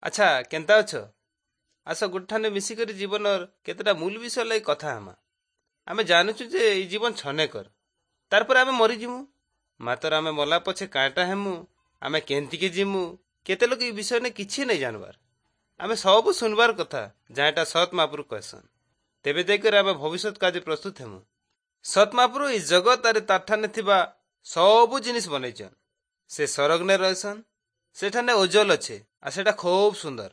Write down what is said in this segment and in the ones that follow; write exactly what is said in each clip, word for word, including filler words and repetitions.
ଆଚ୍ଛା, କେନ୍ତା ଅଛ? ଆସ, ଗୋଠାନେ ମିଶିକରି ଜୀବନର କେତେଟା ମୂଲ ବିଷୟ ଲାଗି କଥା ହେମା। ଆମେ ଜାଣୁଛୁ ଯେ ଏଇ ଜୀବନ ଛନେକର, ତାରପରେ ଆମେ ମରିଯିମୁ। ମାତ୍ର ଆମେ ମଲା ପଛେ କାଁଟା ହେମୁ, ଆମେ କେନ୍ତିକି ଯିମୁ, କେତେ ଲୋକ ଏଇ ବିଷୟ କିଛି ନାଇଁ ଜାଣବାର। ଆମେ ସବୁ ଶୁଣବାର କଥା ଯାହାଟା ସତ୍ ମାପରୁ କହେସନ୍। ତେବେ ଯାଇକରି ଆମେ ଭବିଷ୍ୟତ କାର୍ଯ୍ୟ ପ୍ରସ୍ତୁତ ହେମୁ। ସତ୍ ମାପରୁ ଏଇ ଜଗତ ଆରେ ତାରଠାନେ ଥିବା ସବୁ ଜିନିଷ ବନେଇଛନ୍। ସେ ସରଗ୍ନେ ରହେସନ୍, ସେଠାନେ ଓଜଲ ଅଛେ আর ସେଟା ଖୁବ୍ ସୁନ୍ଦର।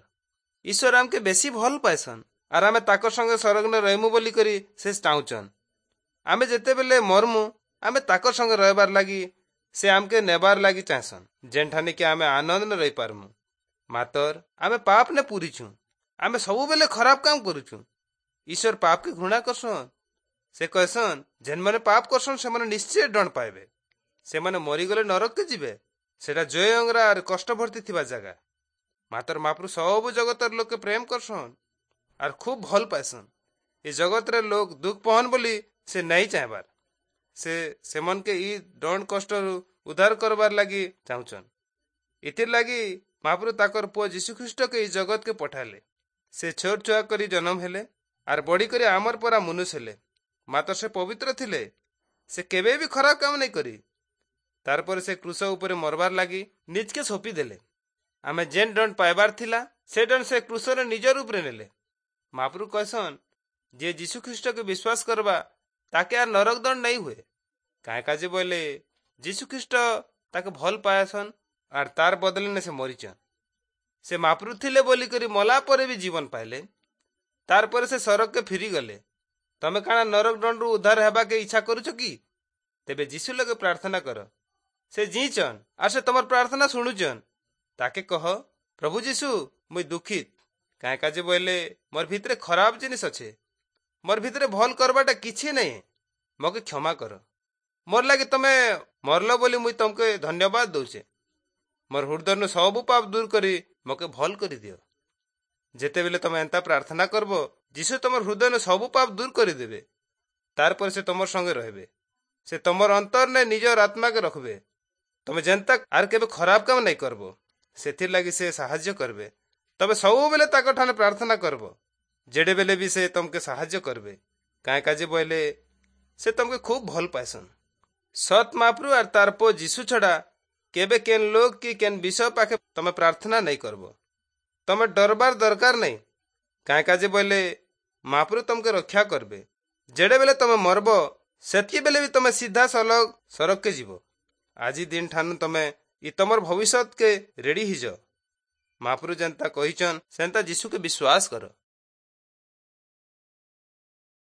ଈଶ୍ୱର ଆମକେ ବେଶୀ ଭଲ ପାଏସନ୍ ଆର୍ ଆମେ ତାକର ସଙ୍ଗେ ସରଗ୍ନେ ରହିମୁ ବୋଲିକରି ସେ ଚାହୁଁଛନ୍। ଆମେ ଯେତେବେଲେ ମରମୁ, ଆମେ ତାକର ସଙ୍ଗେ ରହିବାର ଲାଗି ସେ ଆମକେ ନେବାର ଲାଗି ଚାହେଁସନ୍, ଯେନ୍ଠାନେ କି ଆମେ ଆନନ୍ଦରେ ରହିପାରମୁ। ମାତର ଆମେ ପାପ ନେ ପୁରିଛୁ, ଆମେ ସବୁବେଲେ ଖରାପ କାମ କରୁଛୁ। ଈଶ୍ୱର ପାପକେ ଘୃଣା କରସନ୍। ସେ କହେସନ୍, ଯେନ୍ମାନେ ପାପ କରସନ୍ ସେମାନେ ନିଶ୍ଚୟ ଦଣ୍ଡ ପାଇବେ। ସେମାନେ ମରିଗଲେ ନରକକେ ଯିବେ। ସେଟା ଜୟ ଅଙ୍ଗରା ଆର୍ କଷ୍ଟ ଭର୍ତ୍ତି ଥିବା ଜାଗା। ମାତର ମାପରୁ ସବୁ ଜଗତର ଲୋକେ ପ୍ରେମ କରସନ୍ ଆର୍ ଖୁବ୍ ଭଲ ପାଏସନ୍। ଏ ଜଗତରେ ଲୋକ ଦୁଃଖ ପହନ୍ ବୋଲି ସେ ନାଇଁ ଚାହେଁବାର। ସେ ସେମାନକେ ଇ ଦଣ୍ଡ କଷ୍ଟରୁ ଉଦ୍ଧାର କରବାର ଲାଗି ଚାହୁଁଛନ୍। ଏଥିର୍ ଲାଗି ମହାପ୍ରଭୁ ତାକର ପୁଅ ଯୀଶୁଖ୍ରୀଷ୍ଟକେ ଏଇ ଜଗତକେ ପଠାଲେ। ସେ ଛୋଟ ଛୁଆ କରି ଜନ୍ମ ହେଲେ ଆର୍ ବଢି କରି ଆମର ପରା ମନୁଷ ହେଲେ। ମାତ୍ର ସେ ପବିତ୍ର ଥିଲେ, ସେ କେବେ ବି ଖରାପ କାମ ନାଇଁ କରି। ତାରପରେ ସେ କ୍ରୁଶ ଉପରେ ମରବାର ଲାଗି ନିଜକେ ସୋପି ଦେଲେ। ଆମେ ଯେନ୍ ଦଣ୍ଡ ପାଇବାର ଥିଲା, ସେ ଦଣ୍ଡ ସେ କ୍ରୁଶରେ ନିଜର ଉପରେ ନେଲେ। ମହାପ୍ରଭୁ କହେସନ୍, ଯେ ଯୀଶୁ ଖ୍ରୀଷ୍ଟকে ବିଶ୍ୱାସ କରବା ତାକେ ଆର୍ ନରକ ଦଣ୍ଡ ନାଇଁ ହୁଏ। କାଁ କାଜେ ବୋଇଲେ ଯୀଶୁ ଖ୍ରୀଷ୍ଟ ତାকে ଭଲ ପାଏସନ୍ ଆର୍ ତାର ବଦଲେ ନେ ସେ ମରିଛନ୍। ସେ ମାପରୁ ଥିଲେ ବୋଲିକରି ମଲା ପରେ ବି ଜୀବନ ପାଇଲେ। ତାରପରେ ସେ ସରଗକେ ଫିରି ଗଲେ। ତମେ କାଣା ନରକ ଦଣ୍ଡରୁ ଉଦ୍ଧାର ହେବାକେ ଇଚ୍ଛା କରୁଛ କି? ତେବେ ଯୀଶୁ ଲଗେ ପ୍ରାର୍ଥନା କର। ସେ ଜିଇଛନ୍ ଆର୍ ସେ ତମର ପ୍ରାର୍ଥନା ଶୁଣୁଛନ୍। ତାକେ କହ, ପ୍ରଭୁ ଯୀଶୁ, ମୁଇଁ ଦୁଃଖିତ। କାଁ କାଜେ ବୋଇଲେ ମୋର ଭିତରେ ଖରାପ ଜିନିଷ ଅଛେ, ମୋର ଭିତରେ ଭଲ କରବାଟା କିଛି ନାଇଁ। ମକେ କ୍ଷମା କର। ମୋର ଲାଗି ତମେ ମରଲ ବୋଲି ମୁଇଁ ତମକେ ଧନ୍ୟବାଦ ଦଉଛେ। ମୋର ହୃଦୟନୁ ସବୁ ପାପ ଦୂର କରି ମକେ ଭଲ କରିଦିଅ। ଯେତେବେଲେ ତମେ ଏନ୍ତା ପ୍ରାର୍ଥନା କରବ, ଯୀଶୁ ତମର ହୃଦୟନୁ ସବୁ ପାପ ଦୂର କରିଦେବେ। ତାରପରେ ସେ ତମର ସଙ୍ଗେ ରହିବେ। ସେ ତମର ଅନ୍ତରରେ ନିଜର ଆତ୍ମାକେ ରଖବେ। ତମେ ଯେନ୍ତା ଆର୍ କେବେ ଖରାପ କାମ ନାଇଁ କରବ, ସେଥିର୍ ଲାଗି ସେ ସାହାଯ୍ୟ କରବେ। ତମେ ସବୁବେଲେ ତାଙ୍କ ଠାନେ ପ୍ରାର୍ଥନା କରବ, ଯେଡ଼େ ବେଲେ ବି ସେ ତମକେ ସାହାଯ୍ୟ କରବେ। କାଁ କାଜେ ବୋଇଲେ ସେ ତମକେ ଖୁବ୍ ଭଲ ପାଏସନ୍। ସତ୍ ମାପରୁ ଆର୍ ତାର ପୁଅ ଯୀଶୁ ଛଡ଼ା କେବେ କେନ୍ ଲୋକ କି କେନ୍ ବିଷୟ ପାଖେ ତମେ ପ୍ରାର୍ଥନା ନାଇଁ କରବ। ତମେ ଡରବାର ଦରକାର ନାଇଁ। କାଁ କାଜେ ବୋଇଲେ ମାପରୁ ତମକେ ରକ୍ଷା କରବେ। ଯେଡ଼େ ବେଲେ ତମେ ମରବ, ସେତ୍କି ବେଲେ ବି ତମେ ସିଧା ସଲଗ ସରଗକେ ଯିବ। ଆଜି ଦିନ ଠାନୁ ତମେ ଇ ତମର ଭବିଷ୍ୟତକେ ରେଡି ହେଇଯ। ମାପରୁ ଯେନ୍ତା କହିଛନ୍, ସେନ୍ତା ଯୀଶୁକେ ବିଶ୍ୱାସ କର।